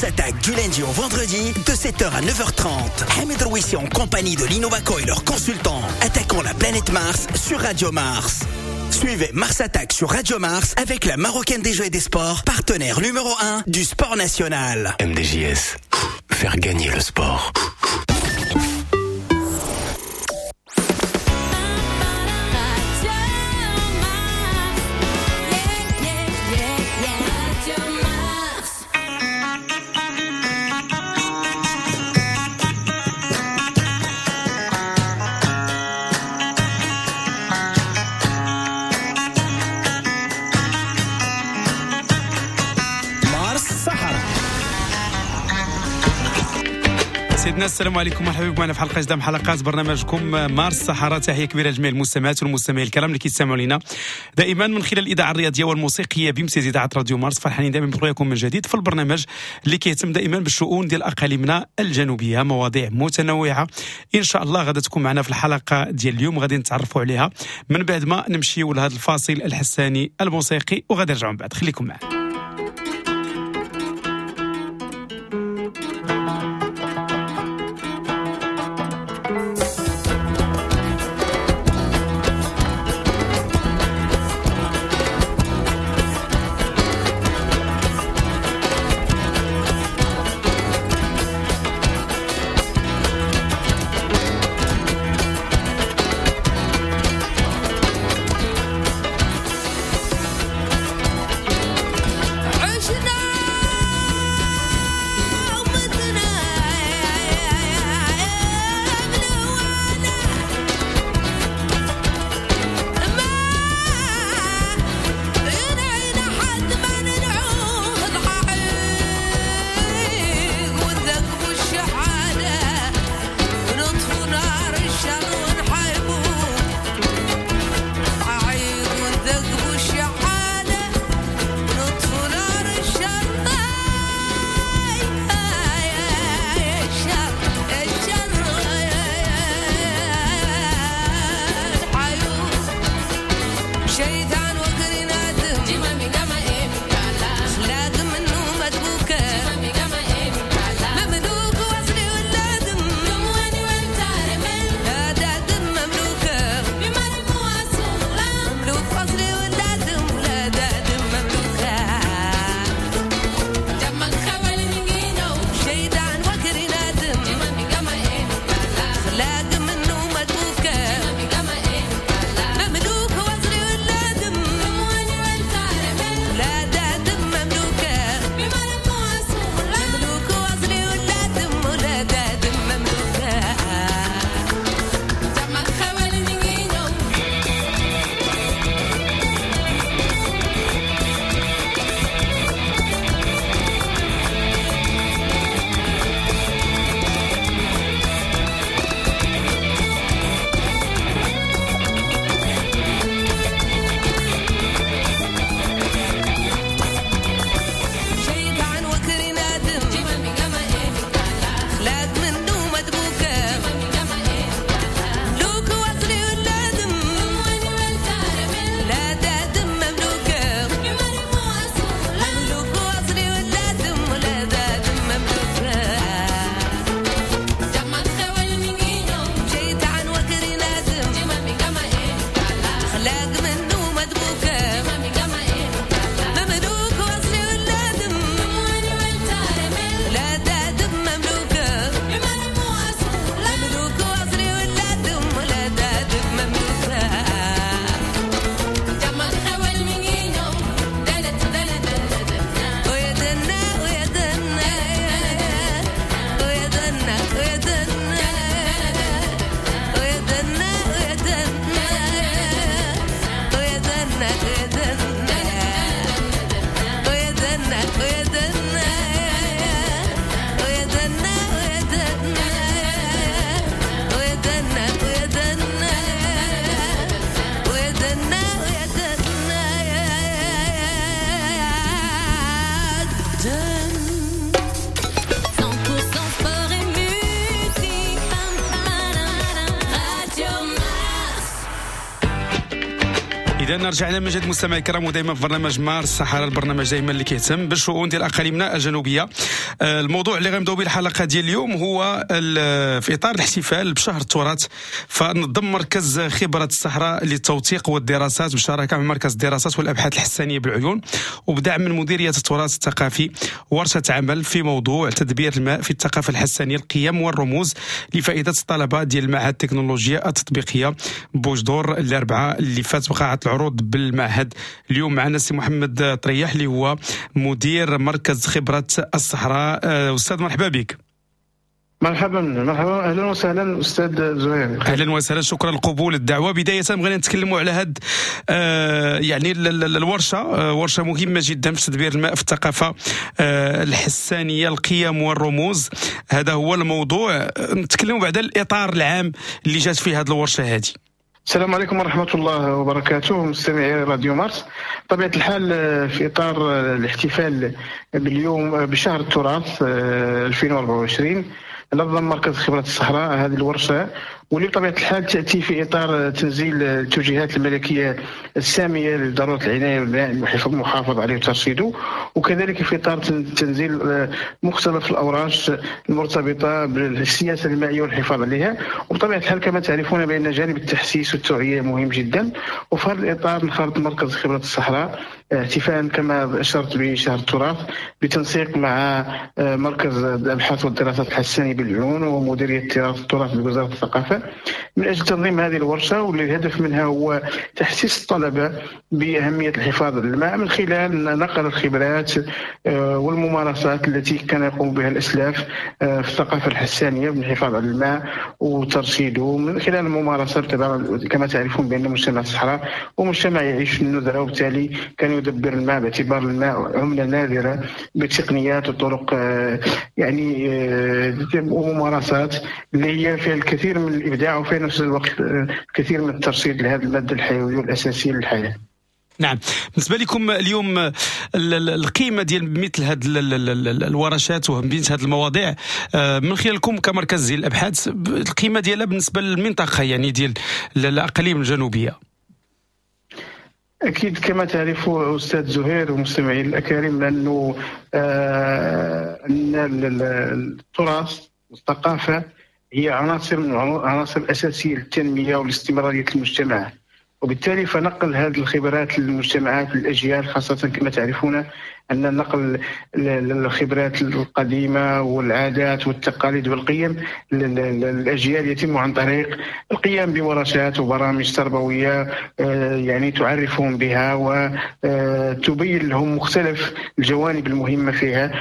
Mars Attack du lundi au vendredi de 7h à 9h30. Hamid Rouissi en compagnie de Lino Baco et leurs consultants attaquons la planète Mars sur Radio Mars. Suivez Mars Attack sur Radio Mars avec la Marocaine des Jeux et des Sports, partenaire numéro 1 du sport national. MDJS, faire gagner le sport. سيدنا السلام عليكم، مرحبا بكم معنا في حلقة جديدة من حلقات برنامجكم مارس الصحراء. تحية كبيرة لجميع المستمعات والمستمعين الكرام اللي كيستمعوا لنا دائما من خلال الاذاعة الرياضية والموسيقيه بامتياز اذاعة راديو مارس. فرحانين دائما برؤياكم من جديد في البرنامج اللي كيهتم دائما بالشؤون ديال اقاليمنا الجنوبية، مواضيع متنوعة ان شاء الله غادا تكون معنا في الحلقة ديال اليوم، غادي نتعرفوا عليها من بعد ما نمشيو لهذا الفاصل الحساني الموسيقي وغادي نرجعوا من بعد. خليكم معنا. اذا رجعنا من جديد مستمعي الكرام، ودائما في برنامج مارس الصحراء، البرنامج دائما اللي كيهتم بالشؤون ديال اقاليمنا الجنوبية. الموضوع اللي غنبداو به الحلقة ديال اليوم هو في اطار الاحتفال بشهر التراث، فنظم مركز خبره الصحراء للتوثيق والدراسات بشراكه مع مركز الدراسات والابحاث الحسانيه بالعيون وبدعم من مديرية التراث الثقافي ورشه عمل في موضوع تدبير الماء في الثقافة الحسانيه، القيم والرموز، لفائدة الطلبة ديال معهد التكنولوجيا التطبيقية بوجدور الاربعاء اللي فات بقاعه العروض بالمعهد. اليوم معنا سي محمد طريح اللي هو مدير مركز خبرة الصحراء. أستاذ مرحبا بك. مرحبا مرحبا، اهلا وسهلا استاذ زهير. اهلا وسهلا، شكرا لقبول الدعوة. بداية بغينا نتكلموا على هاد يعني الورشة، ورشه مهمة جدا في تدبير الماء في الثقافة الحسانيه، القيم والرموز، هذا هو الموضوع. نتكلموا بعد الاطار العام اللي جات فيه هذه الورشة هذه. السلام عليكم ورحمة الله وبركاته مستمعي راديو مارس. طبيعة الحال في إطار الاحتفال باليوم بشهر التراث 2024 نظم مركز خبرة الصحراء هذه الورشة، واللي بطبيعة الحال تأتي في إطار تنزيل التوجيهات الملكية السامية لضرورة العناية بالماء المحافظ عليه وترشيده، وكذلك في إطار تنزيل مختلف الأوراش المرتبطة بالسياسة المائية والحفاظ عليها. وبطبيعة الحال كما تعرفون بأن جانب التحسيس والتوعية مهم جدا، وفي هذا الإطار انخرط مركز خبرة الصحراء احتفاء كما أشرت بشهر التراث بتنسيق مع مركز الأبحاث والدراسات الحسانية بالعيون ومديرية التراث بوزارة الثقافة من أجل تنظيم هذه الورشة، واللي الهدف منها هو تحسيس الطلبة بأهمية الحفاظ على الماء من خلال نقل الخبرات والممارسات التي كان يقوم بها الأسلاف في الثقافة الحسانية من الحفاظ على الماء وترشيده من خلال الممارسات. كما تعرفون بأن مجتمع الصحراء ومجتمع يعيش في الندرة، وبالتالي كان يدبر الماء باعتبار الماء عملة نادرة بتقنيات وطرق يعني وممارسات اللي هي فيها الكثير من الإبداع وفي نفس الوقت الكثير من الترشيد لهذه المادة الحيوية والأساسية للحياة. نعم، بالنسبة لكم اليوم القيمة ديال مثل هذه الورشات ومثل هذه المواضيع من خلالكم كمركز ديال الأبحاث، القيمة ديالها بالنسبة للمنطقة يعني ديال الأقاليم الجنوبية؟ أكيد كما تعرف أستاذ زهير ومستمعين الأكارم أنه أن التراث والثقافة هي عناصر من العناصر الأساسية للتنمية والاستمرارية المجتمع، وبالتالي فنقل هذه الخبرات للمجتمعات للأجيال، خاصة كما تعرفون أن نقل الخبرات القديمة والعادات والتقاليد والقيم للأجيال يتم عن طريق القيام بورشات وبرامج تربوية يعني تعرفهم بها وتبين لهم مختلف الجوانب المهمة فيها.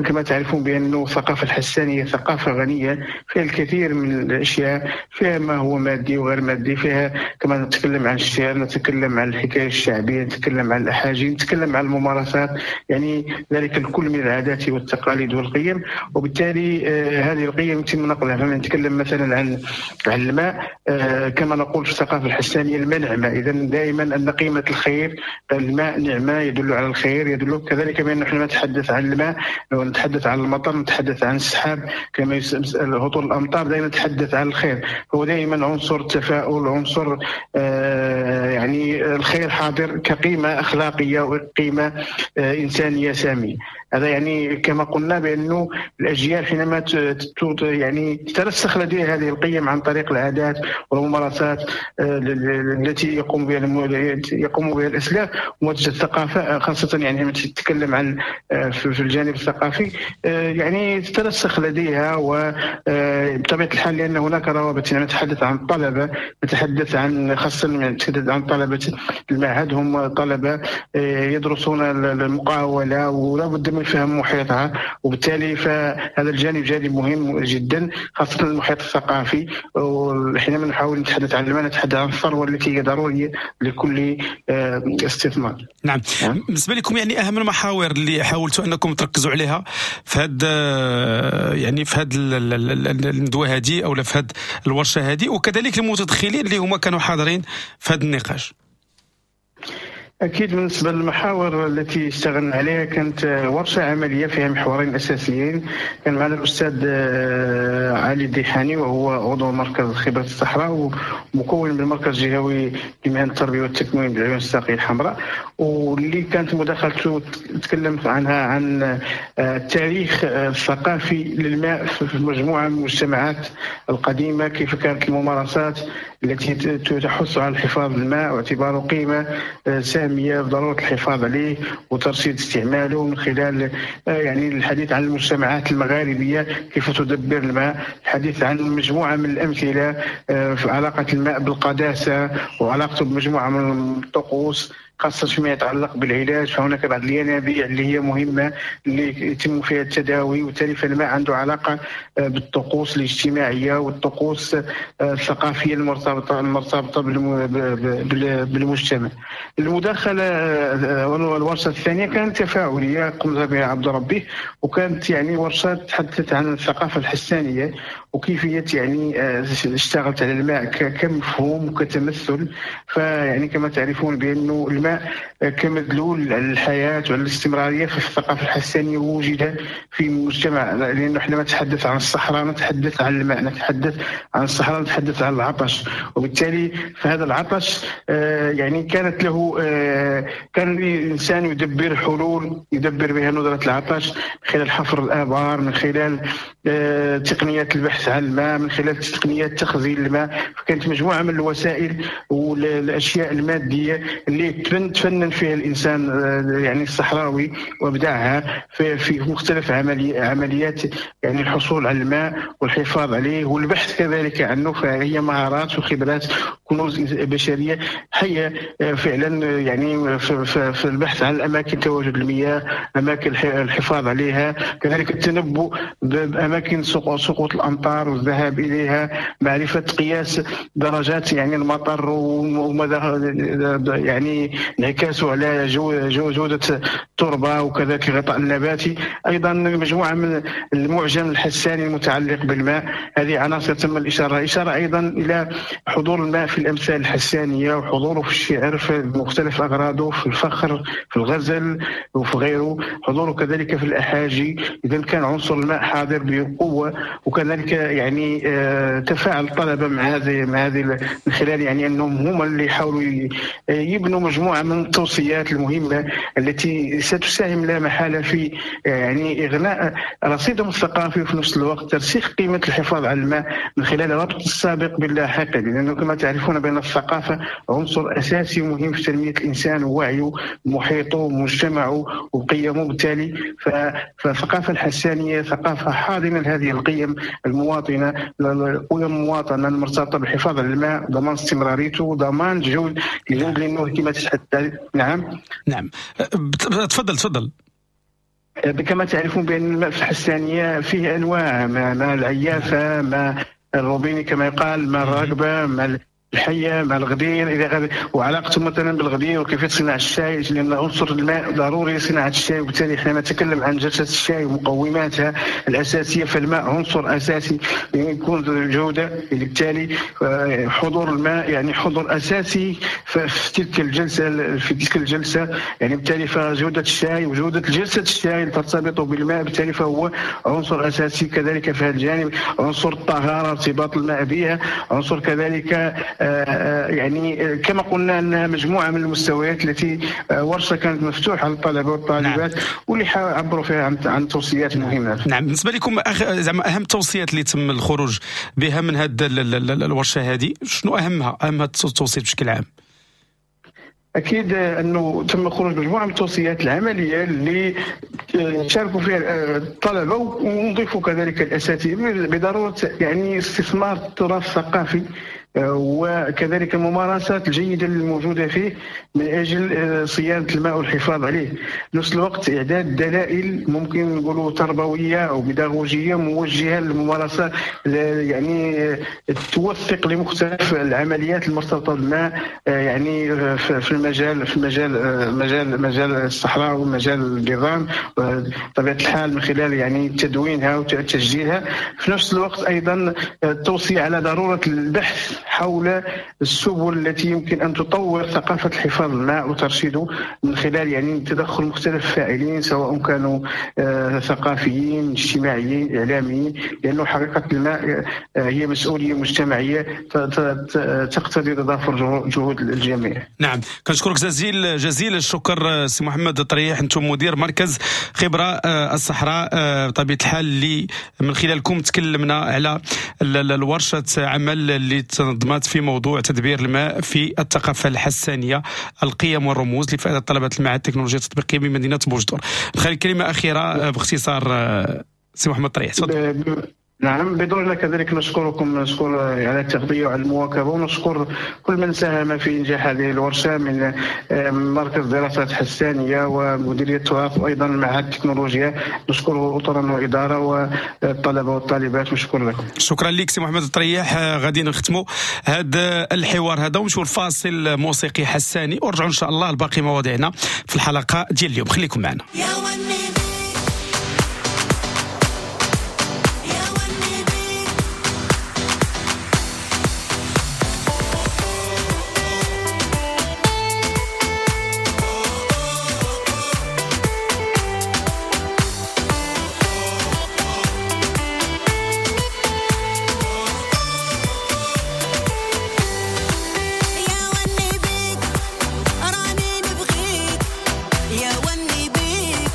كما تعرفون بأن الثقافة الحسانية ثقافة غنية فيها الكثير من الأشياء، فيها ما هو مادي وغير مادي، فيها كما نتكلم عن الشعر، نتكلم عن الحكاية الشعبية، نتكلم عن الأحاجي، نتكلم عن الممارسات، يعني ذلك الكل من العادات والتقاليد والقيم. وبالتالي هذه القيم يتم نقلها. فمن نتكلم مثلا عن الماء، كما نقول في الثقافة الحسانية الماء نعمة، إذا دائما أن قيمة الخير، الماء نعمة يدل على الخير، يدل كذلك بأن نحن نتحدث عن الماء، نتحدث عن المطر، نتحدث عن السحاب كما هطول الأمطار، دائما نتحدث عن الخير. هو دائما عنصر التفاؤل، عنصر يعني الخير حاضر كقيمة أخلاقية وقيمة إنسانية سامية. هذا يعني كما قلنا بأنه الأجيال حينما يعني تترسخ لديها هذه القيم عن طريق العادات والممارسات التي يقوم بها الأسلاف ومنتج الثقافة، خاصة يعني لما تتكلم عن في الجانب الثقافي يعني تترسخ لديها. وبطبيعة الحال لأن هناك روابط، يعني نتحدث عن الطلبة، نتحدث عن خاصة نتحدث عن طلبة المعهد، هم طلبة يدرسون المقاولة ولا بد من فهم محيطها، وبالتالي فهذا الجانب جانب مهم جدا خاصة المحيط الثقافي. وحينما نحاول نتحدث عن المال نتحدث عن الثروة التي هي ضرورية لكل استثمار. نعم. بالنسبة لكم يعني أهم المحاور اللي حاولتوا أنكم تركزوا عليها في هذا يعني في هذا الندوة هذه أو في هذه الورشة هذه، وكذلك المتدخلين اللي هما كانوا حاضرين في هذا النقاش. أكيد بالنسبة للمحاور التي اشتغلنا عليها كانت ورشة عملية فيها محورين أساسيين. كان معنا الأستاذ علي الديحاني وهو عضو مركز خبرة الصحراء ومكون من المركز الجهوي لمهن التربية والتكوين بالعيون الساقية الحمراء، واللي كانت مداخلته تكلم عنها عن التاريخ الثقافي للماء في مجموعة من المجتمعات القديمة، كيف كانت الممارسات التي تحث على الحفاظ الماء واعتباره قيمة سامية بضرورة الحفاظ عليه وترشيد استعماله، من خلال يعني الحديث عن المجتمعات المغاربية كيف تدبر الماء، الحديث عن مجموعة من الأمثلة في علاقة الماء بالقداسة وعلاقته بمجموعة من الطقوس، خاصة فيما يتعلق بالعلاج. فهناك بعض الينابيع اللي هي مهمة اللي يتم فيها التداوي، وبالتالي فالماء عنده علاقة بالطقوس الاجتماعية والطقوس الثقافية المرتبطة بالمجتمع. المداخلة والورشة الثانية كانت تفاعلية قمت بها عبد ربي، وكانت يعني ورشة تحدثت عن الثقافة الحسانية وكيفية يعني اشتغلت على الماء كمفهوم وكتمثل. فيعني كما تعرفون بأنه الماء كمدلول على الحياة وعلى الاستمرارية في الثقافة الحسانية وجد في المجتمع، لأنه احنا نتحدث عن الصحراء نتحدث عن الماء، نتحدث عن الصحراء نتحدث عن العطش، وبالتالي فهذا العطش يعني كانت له كان الإنسان يدبر حلول يدبر بها ندرة العطش من خلال حفر الآبار، من خلال تقنيات البحث عن الماء، من خلال تقنيات تخزين الماء. فكانت مجموعة من الوسائل والأشياء المادية اللي تفنن فيها الإنسان يعني الصحراوي وابدعها في مختلف عمليات يعني الحصول على الماء والحفاظ عليه والبحث كذلك عنه. فهي مهارات وخبرات كنوز بشرية حية فعلا يعني في البحث عن الأماكن تواجد المياه، أماكن الحفاظ عليها، كذلك التنبؤ بأماكن سقوط الأمطار والذهاب إليها، معرفة قياس درجات يعني المطر ومدى يعني انعكاسه على جودة التربة وكذلك الغطاء النباتي. أيضا مجموعة من المعجم الحساني المتعلق بالماء، هذه عناصر تم الإشارة أيضا إلى حضور الماء في الأمثال الحسانية وحضوره في الشعر في مختلف أغراضه، في الفخر، في الغزل وفي غيره، حضوره كذلك في الأحاجي. إذا كان عنصر الماء حاضر بقوة، وكذلك يعني تفاعل الطلبة مع هذه من خلال يعني أنهم هم اللي حاولوا يبنوا مجموعة من التوصيات المهمة التي ستساهم لا محالة في يعني إغناء رصيدهم الثقافي وفي نفس الوقت ترسيخ قيمة الحفاظ على الماء من خلال ربط السابق باللاحق، لأنه كما تعرفون بأن الثقافة عنصر أساسي ومهم في تنمية الإنسان ووعيه ومحيطه ومجتمعه وقيمه. بالتالي فالثقافة الحسانية ثقافة حاضنة لهذه القيم المواطنة، القيم المواطنة المرتبطة بالحفاظ على الماء، ضمان استمراريته، ضمان جودة، لأنه كما تتحدث. نعم نعم، تفضل تفضل. كما تعرفون بأن الماء في الحسانية فيه أنواع، ما العيافة، ما الروبيني كما يقال، ما الرقبة، ما الحية، مع الغدير إلى غيره، وعلاقته مثلا بالغدير وكيفية صناعة الشاي، لأن عنصر الماء ضروري لصناعة الشاي، وبالتالي احنا نتكلم عن جلسة الشاي ومقوماتها الأساسية، فالماء عنصر أساسي يكون الجودة، بالتالي حضور الماء يعني حضور أساسي في تلك الجلسة، يعني بالتالي فجودة الشاي وجودة جلسة الشاي ترتبط بالماء، بالتالي فهو عنصر أساسي كذلك في هذا الجانب. عنصر الطهارة، ارتباط الماء بها، عنصر كذلك يعني كما قلنا أنها مجموعة من المستويات التي ورشة كانت مفتوحة للطلبة والطالبات. نعم. واللي عبروا فيها عن توصيات مهمة. نعم، بالنسبة لكم زعما أهم التوصيات اللي تم الخروج بها من هذه الورشة هذه، شنو أهم التوصيات بشكل عام؟ أكيد أنه تم خروج مجموعة من التوصيات العملية اللي شاركوا فيها الطلبة ونضيفوا كذلك الأساتذة بضرورة يعني استثمار التراث الثقافي وكذلك الممارسات الجيدة الموجودة فيه من أجل صيانة الماء والحفاظ عليه. نفس الوقت إعداد دلائل ممكن نقولوا تربوية أو بيداغوجية موجهة للممارسة، يعني توثق لمختلف العمليات المرتبطة بالماء، يعني في المجال في مجال مجال مجال الصحراء ومجال النظام بطبيعة الحال من خلال يعني تدوينها وتسجيلها. في نفس الوقت أيضا التوصية على ضرورة البحث حول السبل التي يمكن أن تطور ثقافة الحفاظ الماء وترشيده من خلال يعني تدخل مختلف الفاعلين، سواء كانوا ثقافيين، اجتماعيين، إعلاميين، لأنه حقيقة الماء هي مسؤولية مجتمعية تقتضي تضافر جهود الجميع. نعم، كنشكرك جزيل الشكر سي محمد الطريح، أنتم مدير مركز خبرة الصحراء بطبيعة الحال اللي من خلالكم تكلمنا على الورشة عمل اللي تنظمت في موضوع تدبير الماء في الثقافة الحسانية، القيم والرموز لفائدة طلبة المعهد التكنولوجيا التطبيقية بمدينة بوجدور. نخلي كلمة أخيرة باختصار سي محمد الطريح، تفضل. نعم، بدورنا كذلك نشكركم، نشكر على التغطية وعلى المواكبة، ونشكر كل من ساهم في إنجاح هذه الورشة من مركز دراسات حسانية ومديرية التراث وأيضا معهد التكنولوجيا. نشكره أطرا وإدارة والطلبة والطالبات، وشكرا لكم. شكرا لك سي محمد الطريح. غادي نختموا هذا الحوار هذا ونمشيو لفاصل موسيقي حساني ونرجعوا إن شاء الله لباقي مواضيعنا في الحلقة ديال اليوم. خليكم معنا. يا وني بيك راني نبغيك، يا وني بيك.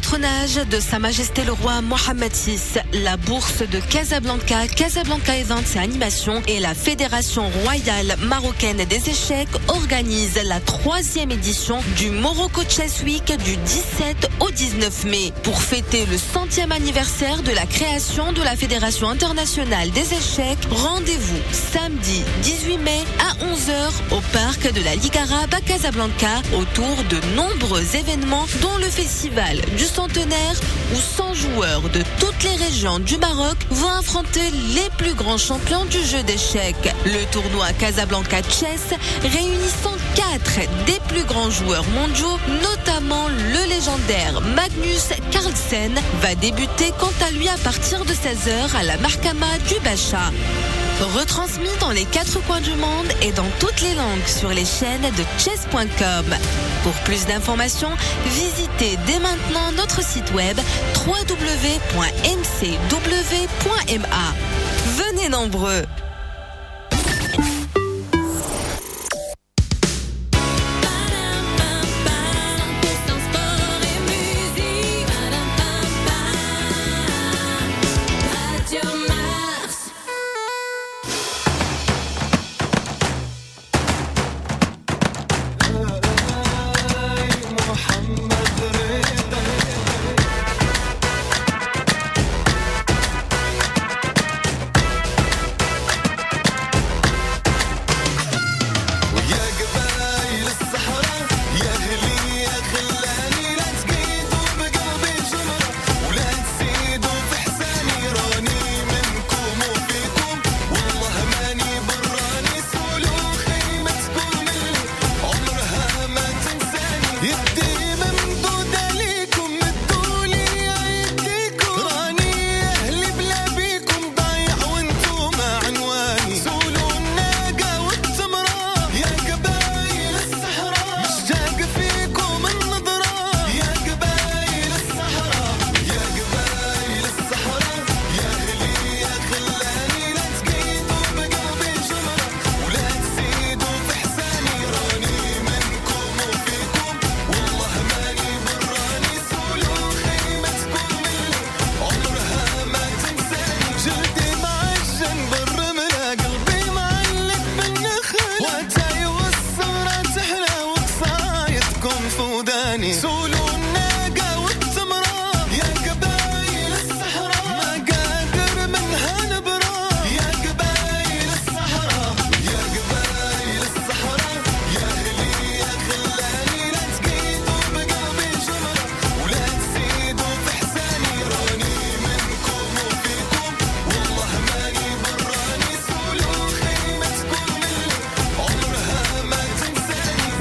patronage de Sa Majesté le Roi Mohammed VI, la Bourse de Casablanca, Casablanca Events et Animations et la Fédération Royale Marocaine des Échecs organisent la 3e édition du Morocco Chess Week du 17 au 19 mai. Pour fêter le 100e anniversaire de la création de la Fédération Internationale des Échecs, rendez-vous samedi 18 mai à 11h au parc de la Ligue arabe à Casablanca autour de nombreux événements dont le festival du centenaire où 100 joueurs de toutes les régions du Maroc vont affronter les plus grands champions du jeu d'échecs. Le tournoi Casablanca Chess réunissant 4 des plus grands joueurs mondiaux, notamment le légendaire Magnus Carlsen, va débuter quant à lui à partir de 16h à la Mahkama du Bacha. Retransmis dans les 4 coins du monde et dans toutes les langues sur les chaînes de chess.com. Pour plus d'informations, visitez dès maintenant notre site web www.mcw.ma. Venez nombreux!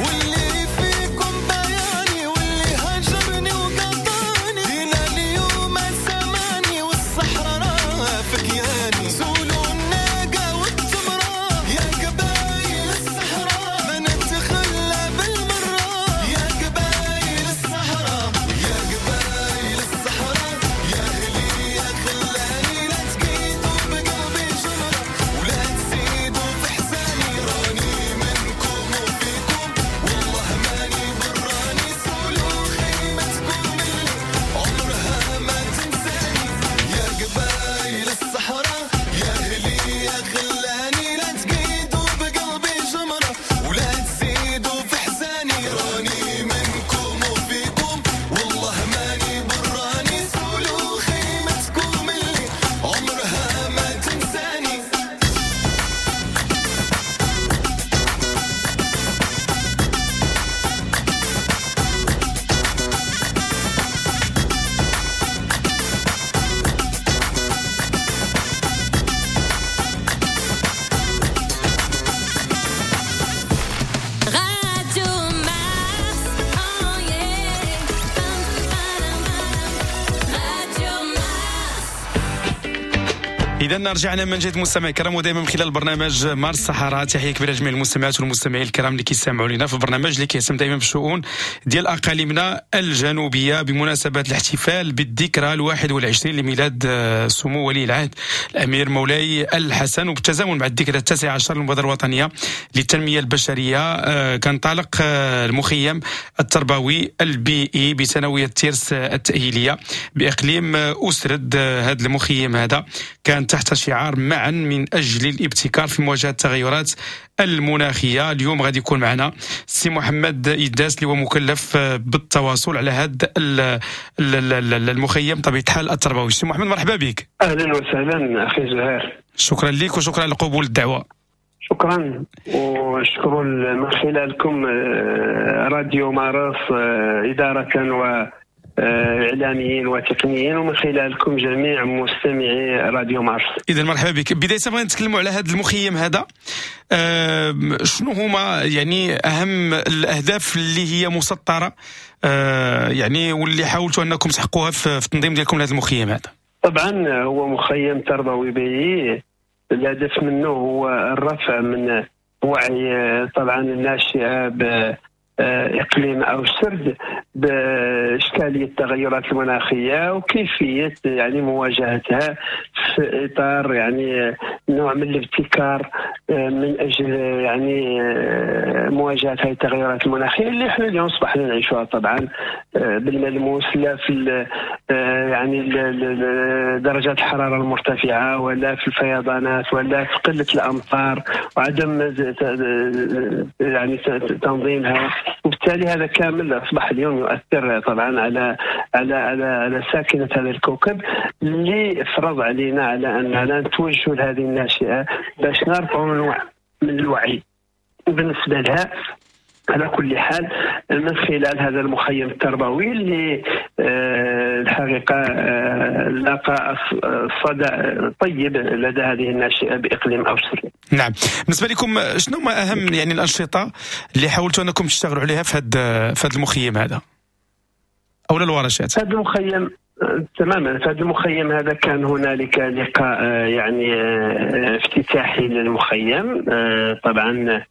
واللي فيكم بياني واللي اذا رجعنا من جديد مستمعي الكرام، ودائما من خلال برنامج مارس الصحراء. تحية كبيرة لجميع المستمعات والمستمعين الكرام اللي كيستمعوا لنا في البرنامج اللي كيهتم دائما بالشؤون ديال اقاليمنا الجنوبية، بمناسبة الاحتفال بالذكرى 21 لميلاد سمو ولي العهد الامير مولاي الحسن، وبالتزامن مع الذكرى 19 للمبادره الوطنية للتنمية البشرية. كنطلق المخيم التربوي البيئي بثانويه تيرس التاهيليه باقليم أوسرد. هذا المخيم هذا كان تحت شعار معا من أجل الابتكار في مواجهة التغيرات المناخية. اليوم غادي يكون معنا السي محمد إداس اللي هو مكلف بالتواصل على هذا المخيم طبيعة الحال التربوي. سي محمد مرحبا بك. أهلا وسهلا أخي زهير، شكرا لك وشكرا لقبول الدعوة. شكرا، وشكرا من خلالكم راديو مارس إدارة و اعلاميين وتقنيين، ومن خلالكم جميع مستمعي راديو مارس. اذا مرحبا بك. بداية بغينا نتكلموا على هذا المخيم هذا، شنو هما يعني اهم الاهداف اللي هي مسطرة يعني واللي حاولتوا انكم تحققوها في التنظيم ديالكم لهذا المخيم هذا؟ طبعا هو مخيم تربوي بيئي، الهدف منه هو الرفع من وعي طبعا الناشئة اقليم او سرد باشكاليه التغيرات المناخية وكيفية يعني مواجهتها في اطار يعني نوع من الابتكار من اجل يعني مواجهة هذه التغيرات المناخية اللي احنا اليوم اصبحنا نعيشها طبعا بالملموس، لا في يعني درجات الحرارة المرتفعة ولا في الفيضانات ولا في قلة الامطار وعدم يعني تنظيمها، وبالتالي هذا كامل اصبح اليوم يؤثر طبعا على على على على ساكنة هذا الكوكب، اللي فرض علينا على اننا نتوجه لهذه الناشئة باش نرفعوا من الوعي بالنسبة لها. على كل حال من خلال هذا المخيم التربوي اللي الحقيقة لقى صدى طيب لدى هذه الناشئة باقليم أوسرد. نعم، بالنسبة لكم شنو ما اهم يعني الانشطة اللي حاولتوا انكم تشتغلوا عليها في هذا المخيم هذا او الورشات؟ هذا المخيم تماما، في هذا المخيم هذا كان هنالك لقاء يعني افتتاحي للمخيم طبعا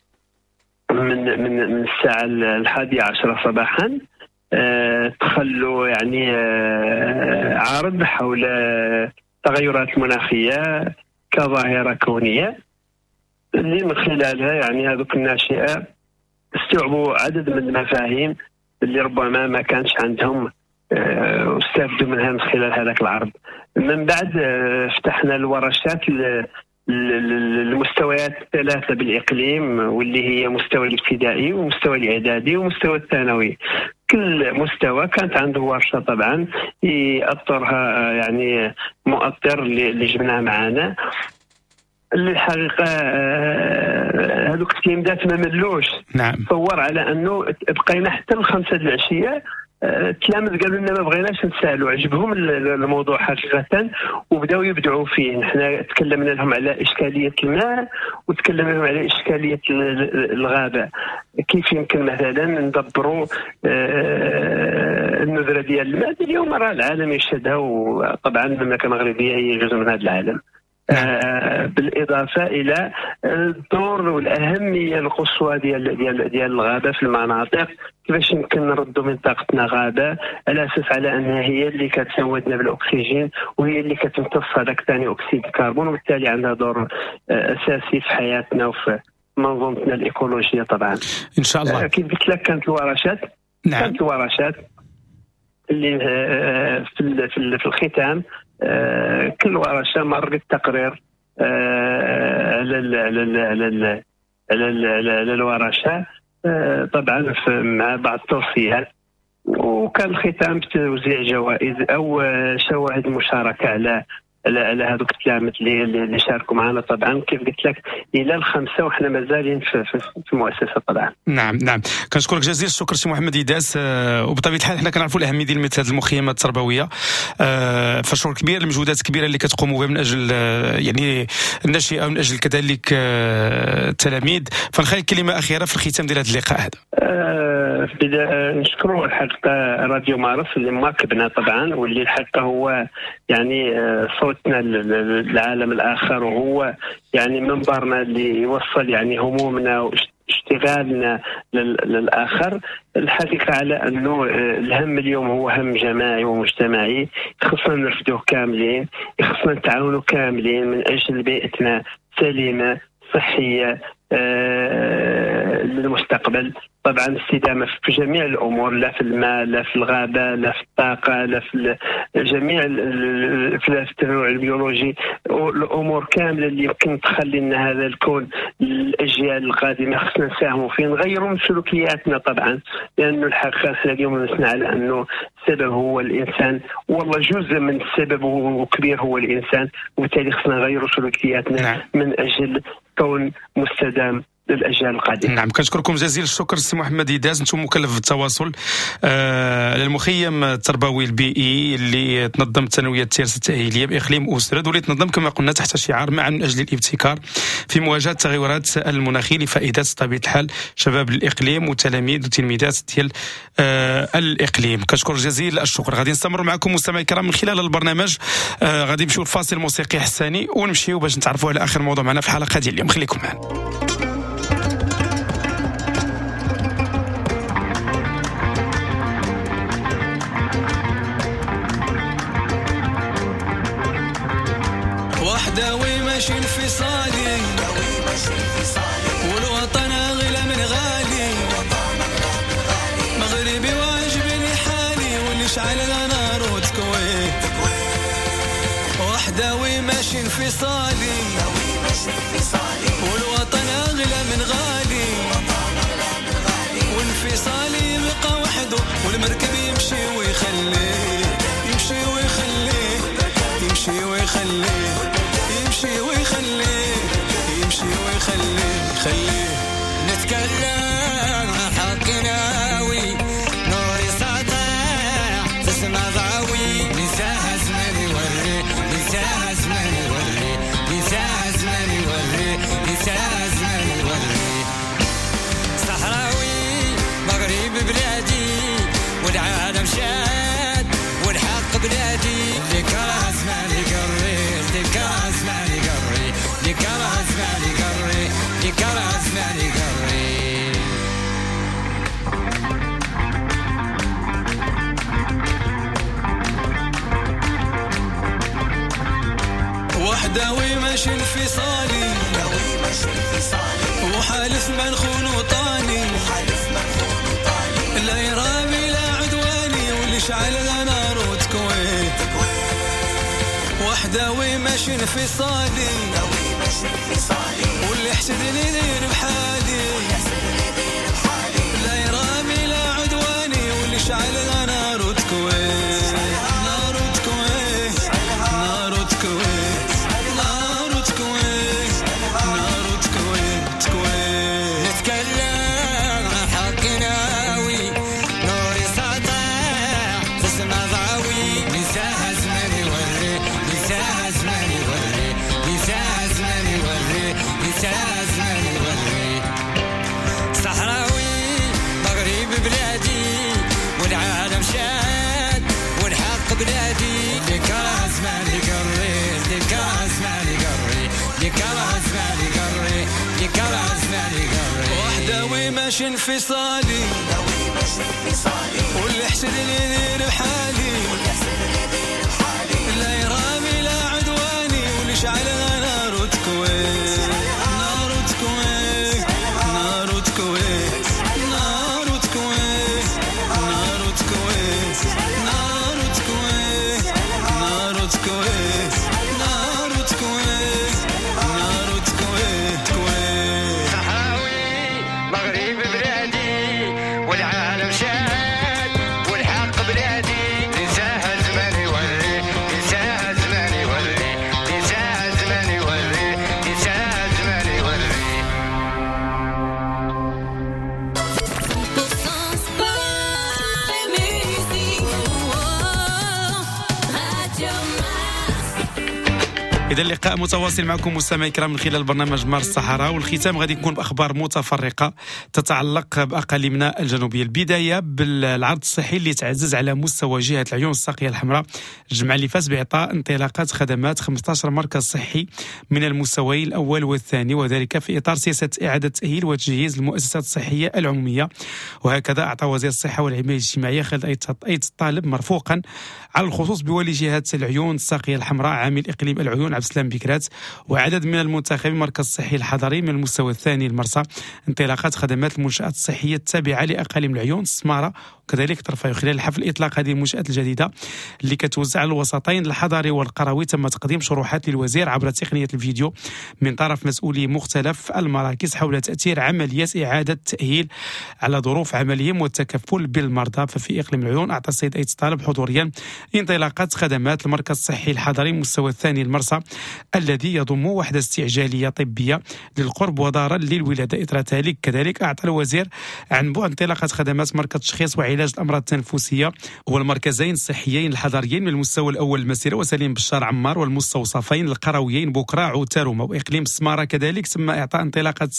من من من الساعة 11 صباحا. تخلوا يعني عرض حول التغيرات المناخية كظاهرة كونية، اللي من خلالها يعني هذوك الناشئة استوعبوا عدد من المفاهيم اللي ربما ما كانش عندهم واستفادوا منها من خلال هذاك العرض. من بعد فتحنا الورشات المستويات الثلاثة بالإقليم، واللي هي مستوى الابتدائي ومستوى الإعدادي ومستوى الثانوي. كل مستوى كانت عنده ورشة طبعا يأطرها يعني مؤطر اللي جبناه معنا. اللي الحقيقة هذوك التلاميذات ما ملوش. نعم. تصور على أنه بقينا حتى 5 العشية، التلاميذ قالوا لنا ما بغيناش نسالوا، عجبهم الموضوع حقيقة وبداوا يبدعوا فيه. نحن تكلمنا لهم على إشكالية الماء وتكلمنا لهم على إشكالية الغابة، كيف يمكن مثلا ندبروا النذرة ديال الماء. اليوم راه العالم يشهدها، وطبعا المملكة المغربية هي جزء من هذا العالم. بالإضافة إلى الدور والأهمية القصوى ديال ديال ديال الغابة في المناطق، كيفاش يمكن نردوا منطقتنا غابة على أساس على أنها هي اللي كتسودنا بالأكسجين وهي اللي كتمتص هذاك ثاني أكسيد الكربون، وبالتالي عندها دور أساسي في حياتنا وفي منظومتنا الإيكولوجية طبعا. إن شاء الله. كيف قلت لك كانت الورشات. نعم. كانت الورشات اللي في الختام كل ورشة مرت تقرير على على على الورشة طبعا مع بعض التوصيات، وكان الختام بتوزيع جوائز او شواهد مشاركة على على هذوك التلاميذ اللي شاركوا معنا. طبعا كيف قلت لك الى 5 وحنا مازالين في المؤسسة طبعا. نعم نعم، كنشكرك جزيل الشكر سي محمد إداس. وبطبيعة الحال حنا كنعرفوا الاهمية ديال مثل هذه المخيمات التربوية، فشكر كبير المجهودات الكبيرة اللي كتقوموا بها من اجل يعني الناشئة ومن اجل كذلك التلاميذ. فنخلي كلمة اخيرة في الختام ديال هذا اللقاء هذا. نشكروا الحقيقة راديو مارس اللي مواكبنا طبعا، واللي الحقيقة هو يعني صوت بوابتنا للعالم الاخر، وهو يعني منبرنا اللي يوصل يعني همومنا واشتغالنا للاخر. الحقيقة على انه الهم اليوم هو هم جماعي ومجتمعي، خصنا نرفدوه كاملين، خصنا نتعاونوا كاملين من اجل بيئتنا سليمة صحية للمستقبل. طبعا الاستدامة في جميع الامور، لا في الماء، لا في الغابة، لا في الطاقة، لا في جميع في التنوع البيولوجي، الامور كاملة اللي يمكن تخلي لنا هذا الكون للاجيال القادمة خصنا نساهموا فيه، نغيروا من سلوكياتنا طبعا، لانه الحقيقة احنا اليوم نسمع على انه السبب هو الانسان، والله جزء من السبب وكبير هو الانسان، وبالتالي خصنا نغيروا سلوكياتنا من اجل كون مستدام للاجيال القادمة. نعم، كنشكركم جزيل الشكر سي محمد إيداز، انتم مكلف بالتواصل للمخيم التربوي البيئي اللي تنظم الثانوية التيرس التاهيليه باقليم اوسرد، واللي تنظم كما قلنا تحت شعار معا من اجل الابتكار في مواجهة التغيرات المناخية لفائدة طبيعة الحال شباب الاقليم والتلاميذ والتلميذات ديال الاقليم. كنشكر جزيل الشكر. غادي نستمر معكم مستمعي الكرام من خلال البرنامج، غادي نمشيو لفاصل موسيقي حساني ونمشيو باش نتعرفوا على اخر موضوع معنا في الحلقة ديال اليوم. خليكم معنا. وحداوي ماشي انفصالي، والوطن أغلى من غالي، مغربي واجبني حالي واللي شعل نار وتكوي. وحداوي ماشي انفصالي، والوطن أغلى من غالي، وانفصالي يبقى وحده والمركب يمشي ويخليه، يمشي ويخليه، يمشي ويخليه، يمشي ويخليه، يمشي ويخليه، خليه. نتكلم عن حق ناوي، نوري ساطع تسمع ضاوي، نساها زمان يوري، نساها زمان يوري، نساها زمان يوري، نساها زمان يوري. صحراوي مغرب بلادي، والعالم شاد والحق بلادي، ذكرى زمان يقري، ذكرى زمان يقري، ذكرى زمان يقري، ذكرى زمان يقري. وحداوي ماشي انفصالي، وحالف ما نخون وطاني، لا يرابي لا عدواني، واللي شعل نار وتكوي. وحداوي ماشي انفصالي، واللي حسدني يدير بحالي، لا يرامي لا عدواني، واللي شعل نار وتكوي، نار وتكوي، نار وتكوي، نار وتكوي، نار وتكوي، تكوي. نتكلم عن حق ناوي، نوري ساطع تسمع ضاوي، نساها زمان يوري، نساها زمان يوري، نساها زمان يوري، نساها زمان يوري. صحراوي مغرب بلادي، والعالم شاد والحق بلادي، ذكرى زمان يقري، ذكرى زمان يقري، ذكرى زمان يقري، ذكرى زمان يقري. وحداوي ماشي انفصالي، واللي حسدني يدير بحالي، لا يرامي لا عدواني، واللي شعل نار وتكوي، نار وتكوي، نار وتكوي، نار وتكوي، نار وتكوي، نار وتكوي، نار وتكوي، نار وتكوي، نار وتكوي، تكوي. صحراوي مغرب بلادي، والعالم شاد والحق بلادي. إذا اللقاء متواصل معكم مستمعي الكرام من خلال برنامج مارس الصحراء، والختام غادي يكون بأخبار متفرقة تتعلق بأقاليمنا الجنوبية. البداية بالعرض الصحي اللي تعزز على مستوى جهة العيون الساقية الحمراء الجمعة اللي فاز بإعطاء انطلاقات خدمات 15 مركز صحي من المستويين الأول والثاني، وذلك في إطار سياسة إعادة تأهيل وتجهيز المؤسسات الصحية العمومية. وهكذا أعطى وزير الصحة والحماية الاجتماعية خالد أيت الطالب مرفوقا على الخصوص بولي جهة العيون الساقية الحمراء عامل إقليم العيون عبد السلام بكرات وعدد من المنتخبين المركز الصحي الحضري من المستوى الثاني المرسى انطلاقات خدمات المنشآت الصحية التابعة لأقاليم العيون السمارة وكذلك طرفايو. خلال حفل إطلاق هذه المنشآت الجديدة اللي كتوزع على الوسطين الحضري والقروي تم تقديم شروحات للوزير عبر تقنية الفيديو من طرف مسؤولي مختلف المراكز حول تأثير عملية إعادة التأهيل على ظروف عملهم والتكفل بالمرضى. ففي إقليم العيون أعطى السيد أيت الطالب حضوريا انطلاقات خدمات المركز الصحي الحضري المستوى الثاني المرسى الذي يضم وحدة استعجالية طبية للقرب ودارا للولادة. إثر ذلك كذلك أعطى الوزير عن بعد انطلاقة خدمات مركز تشخيص وعلاج الأمراض التنفسية والمركزين الصحيين الحضريين من المستوى الأول المسيرة وسليم بشار عمار والمستوصفين القرويين بوكراع وتاروما. وإقليم السمارة كذلك تم إعطاء انطلاقة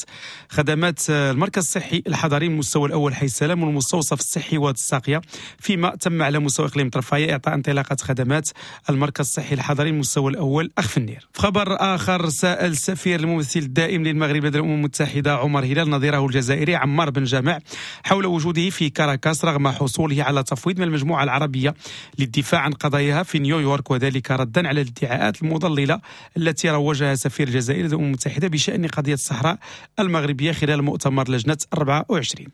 خدمات المركز الصحي الحضري من المستوى الأول حي السلام والمستوصف الصحي واد الساقية، فيما تم على مستوى إقليم طرفاية إعطاء انطلاقة خدمات المركز الصحي الحضري من المستوى الأول أخفنير. في خبر آخر، سأل السفير الممثل الدائم للمغرب لدى الأمم المتحدة عمر هلال نظيره الجزائري عمار بن جامع حول وجوده في كاراكاس رغم حصوله على تفويض من المجموعة العربية للدفاع عن قضاياها في نيويورك، وذلك ردا على الادعاءات المضللة التي روجها سفير الجزائر لدى الأمم المتحدة بشأن قضية الصحراء المغربية خلال مؤتمر لجنة 24.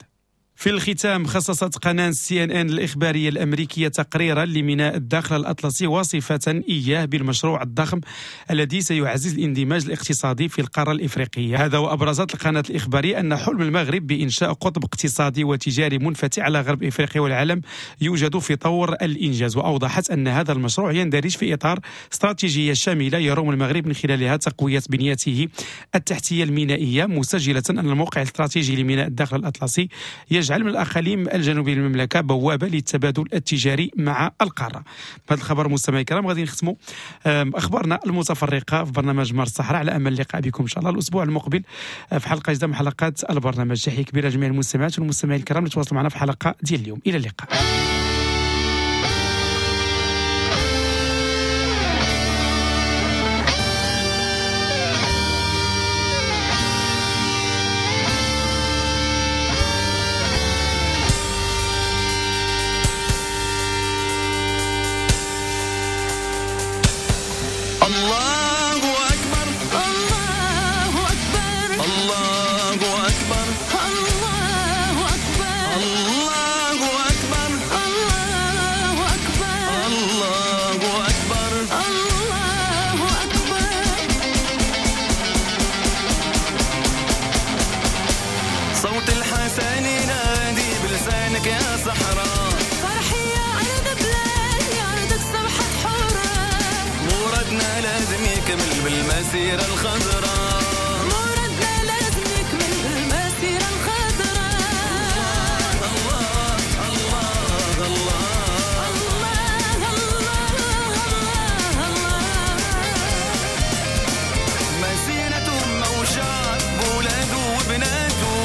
في الختام، خصصت قناة CNN الإخبارية الأمريكية تقريرا لميناء الداخل الأطلسي واصفة إياه بالمشروع الضخم الذي سيعزز الاندماج الاقتصادي في القارة الإفريقية. هذا وأبرزت القناة الإخبارية أن حلم المغرب بإنشاء قطب اقتصادي وتجاري منفتح على غرب إفريقيا والعالم يوجد في طور الإنجاز. وأوضحت أن هذا المشروع يندرج في إطار استراتيجية شاملة يروم المغرب من خلالها تقوية بنيته التحتية المينائية، مسجلة أن الموقع الاستراتيجي لميناء الداخل الأطلسي يجعل من الأقاليم الجنوبية للمملكة بوابة للتبادل التجاري مع القارة. بهذا الخبر مستمعي الكرام غادي نختموا أخبارنا المتفرقة في برنامج مارس الصحراء، على أمل اللقاء بكم إن شاء الله الأسبوع المقبل في حلقة جديدة من حلقات البرنامج. تحية كبيرة لجميع المستمعات والمستمعين الكرام اللي تواصلوا معنا في حلقة ديال اليوم. إلى اللقاء. الله أكبر، الله أكبر، الله أكبر، الله أكبر، الله أكبر، الله أكبر، الله أكبر، الله أكبر. صوت الحسن ينادي بلسانك يا صحراء، فرحي يا أرض بلادي، أرضك صبحت حرة، مرادنا لازم يكمل بالمسيرة الخضراء، مرادنا لازم يكمل بالمسيرة الخضراء. الله الله الله الله الله الله. مسيرة وشعب بولاده وبناته،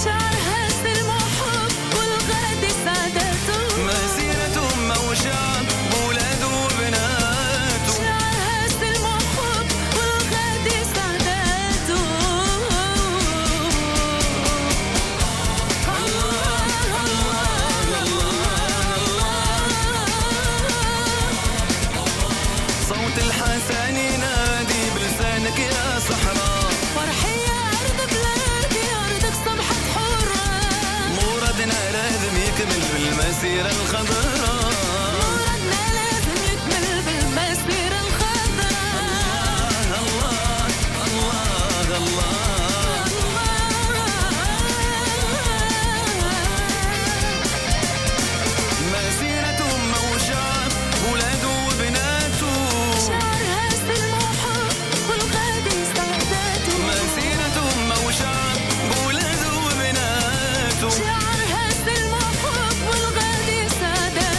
شعرها سلم وحب والغد سعادته، مسيرة وشعب بولاده وبناته، شعرها سلم وحب والغد سعادته. الله الله الله. صوت الحسن ينادي بلسانك يا صحراء، فرحي يا أرض بلادي، أرضك صبحت حرة، مرادنا لازم يكمل بالمسيرة الخضراء، مرادنا لازم يكمل بالمسيرة الخضراء. الله الله الله. مسيرة وشعب ولاده وبناته، شعرها سلم وحب والغد سعادته، مسيرة وشعب ولاده وبناته، شعرها سلم وحب والغد سعادته.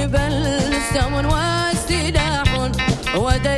بل سم والسلاح ودليل.